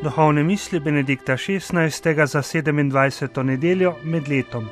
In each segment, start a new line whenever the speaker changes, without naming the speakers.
Duhovne misli Benedikta XVI. Za 27. nedeljo med letom.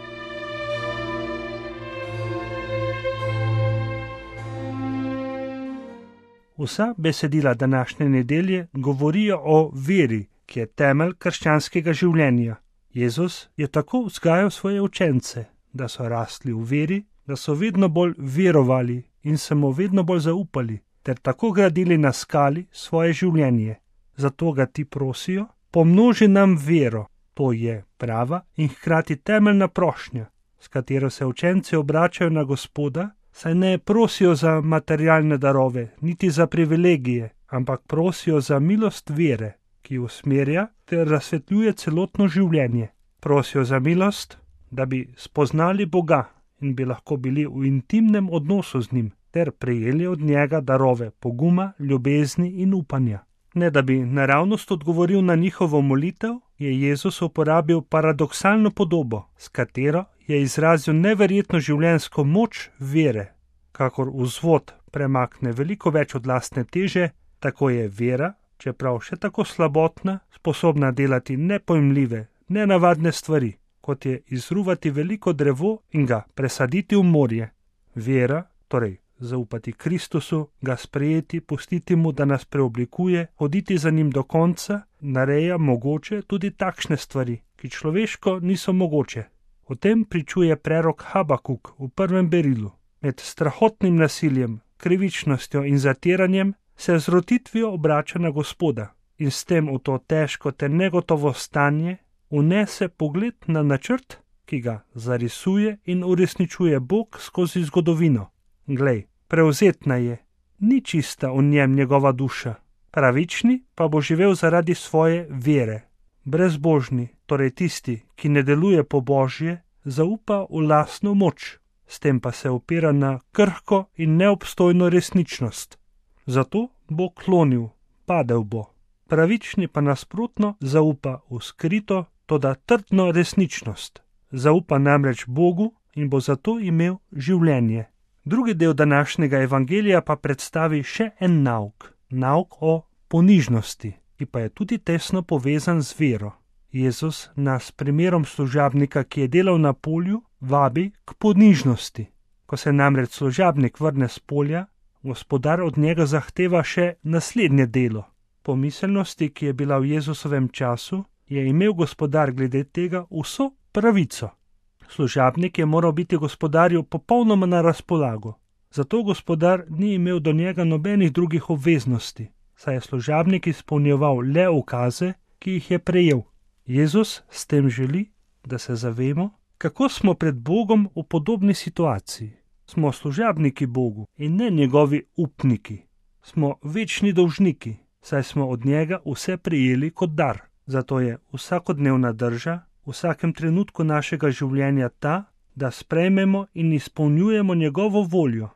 Vsa besedila današnje nedelje govorijo o veri, ki je temelj krščanskega življenja. Jezus je tako vzgajal svoje učence, da so rasli v veri, da so vedno bolj verovali in se mu vedno bolj zaupali, ter tako gradili na skali svoje življenje. Zato ga ti prosijo, pomnoži nam vero. To je prava in hkrati temeljna prošnja, s katero se učenci obračajo na Gospoda, saj ne prosijo za materialne darove, niti za privilegije, ampak prosijo za milost vere, ki usmerja ter razsvetljuje celotno življenje. Prosijo za milost, da bi spoznali Boga in bi lahko bili v intimnem odnosu z njim, ter prejeli od njega darove poguma, ljubezni in upanja. Ne da bi naravnost odgovoril na njihovo molitev, je Jezus uporabil paradoksalno podobo, s katero je izrazil neverjetno življenjsko moč vere. Kakor vzvod premakne veliko več od lastne teže, tako je vera, čeprav še tako slabotna, sposobna delati nepojmljive, nenavadne stvari, kot je izruvati veliko drevo in ga presaditi v morje. Vera, torej zaupati Kristusu, ga sprejeti, pustiti mu, da nas preoblikuje, hoditi za njim do konca, nareja mogoče tudi takšne stvari, ki človeško niso mogoče. O tem pričuje prerok Habakuk v 1. berilu. Med strahotnim nasiljem, krivičnostjo in zatiranjem se z rotitvijo obrača na Gospoda in s tem v to težko ter negotovo stanje vnese pogled na načrt, ki ga zarisuje in uresničuje Bog skozi zgodovino. Glej, prevzetna je, ni čista v njem njegova duša, pravični pa bo živel zaradi svoje vere. Brezbožni, torej tisti, ki ne deluje po Božje, zaupa v lastno moč, s tem pa se opira na krhko in neobstojno resničnost. Zato bo klonil, padel bo. Pravični pa nasprotno zaupa v skrito, toda trdno resničnost. Zaupa namreč Bogu in bo zato imel življenje. Drugi del današnjega evangelija pa predstavi še en nauk, nauk o ponižnosti, ki pa je tudi tesno povezan z vero. Jezus nas primerom služabnika, ki je delal na polju, vabi k ponižnosti. Ko se namreč služabnik vrne s polja, Gospodar od njega zahteva še naslednje delo. Po miselnosti, ki je bila v Jezusovem času, je imel Gospodar glede tega vso pravico. Služabnik je moral biti Gospodarju popolnoma na razpolago. Zato Gospodar ni imel do njega nobenih drugih obveznosti, saj je služabnik izpolnjeval le ukaze, ki jih je prejel. Jezus s tem želi, da se zavemo, kako smo pred Bogom v podobni situaciji. Smo služabniki Bogu in ne njegovi upniki. Smo večni dolžniki, saj smo od njega vse prejeli kot dar. Zato je vsakodnevna drža v vsakem trenutku našega življenja ta, da sprejmemo in izpolnjujemo njegovo voljo.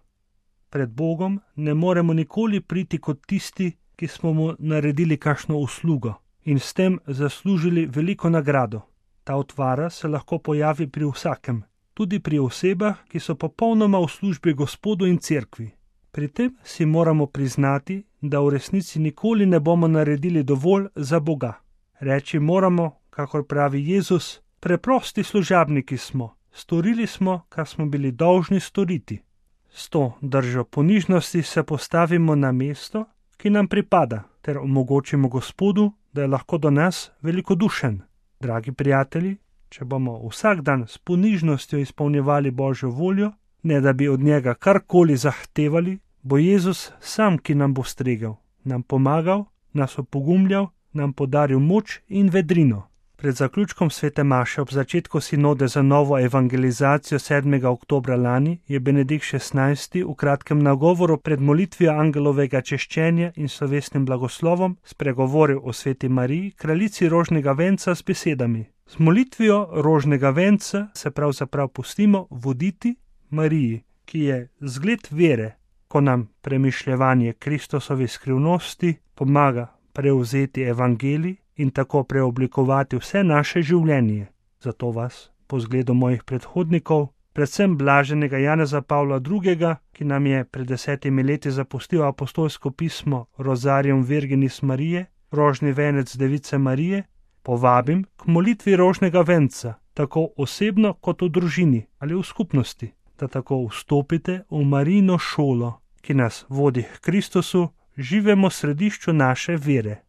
Pred Bogom ne moremo nikoli priti kot tisti, ki smo mu naredili kakšno uslugo in s tem zaslužili veliko nagrado. Ta utvara se lahko pojavi pri vsakem, tudi pri osebah, ki so popolnoma v službi Gospodu in cerkvi. Pri tem si moramo priznati, da v resnici nikoli ne bomo naredili dovolj za Boga. Reči moramo, kakor pravi Jezus, preprosti služabniki smo, storili smo, kar smo bili dolžni storiti. S to držo ponižnosti se postavimo na mesto, ki nam pripada, ter omogočimo Gospodu, da je lahko do nas velikodušen. Dragi prijatelji, če bomo vsak dan s ponižnostjo izpolnjevali Božjo voljo, ne da bi od njega karkoli zahtevali, bo Jezus sam, ki nam bo stregel, nam pomagal, nas opogumljal, nam podaril moč in vedrino. Pred zaključkom svete maše ob začetku sinode za novo evangelizacijo 7. oktobra lani je Benedikt XVI. V kratkem nagovoru pred molitvijo angelovega češčenja in slovesnim blagoslovom spregovoril o sveti Mariji, kraljici rožnega venca s besedami: z molitvijo rožnega venca se pravzaprav pustimo voditi Mariji, ki je zgled vere, ko nam premišljevanje Kristusove skrivnosti pomaga prevzeti evangelij in tako preoblikovati vse naše življenje. Zato vas, po zgledu mojih predhodnikov, predvsem blaženega Janeza Pavla II., ki nam je pred 10 leti zapustil apostolsko pismo Rosarium Virginis Marije, rožni venec Device Marije, povabim k molitvi rožnega venca, tako osebno kot v družini ali v skupnosti, da tako vstopite v Marijino šolo, ki nas vodi k Kristusu, živemu središču naše vere.